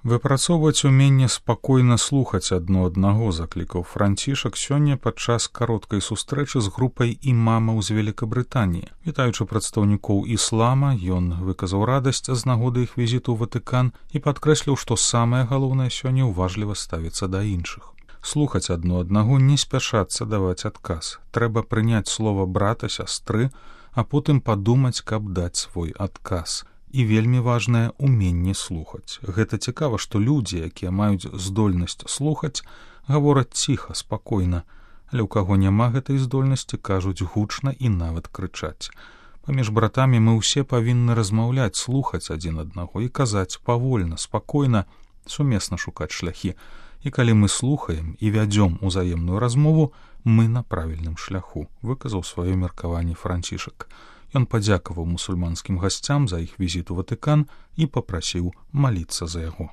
Выпрацоўваць уменне спакойна слухаць адно аднаго, заклікаў Францішак сёння падчас кароткай сустрэчы з групай імамаў з Великабрытаніі. Вітаючы прадстаўнікоў іслама, ён выказаў радасць з нагоды іх візіту ў Ватыкан і падкрэсліў, што самае галоўнае сёння ўважліва ставіцца да іншых. Слухаць адно аднаго, не спяшацца даваць адказ. Трэба прыняць слова брата, сястры, а потым падумаць, каб даць свой адказ. І вельмі важнае уменне слухаць. Гэта цікава, што людзі, якія маюць здольнасць слухаць, гавораць ціха, спакойна, але ў каго няма гэтай здольнасці, кажуць гучна і нават крычаць. Паміж братамі мы ўсе павінны размаўляць, слухаць адзін аднаго і казаць павольна, спакойна, сумесна шукаць шляхі. І калі мы слухаем і вядзём узаемную размову, мы на правільным шляху, выказаў сваё меркаванне Францішак. Ён падзякаваў мусульманскім гасцям за іх візіт у Ватыкан і папрасіў маліцца за яго.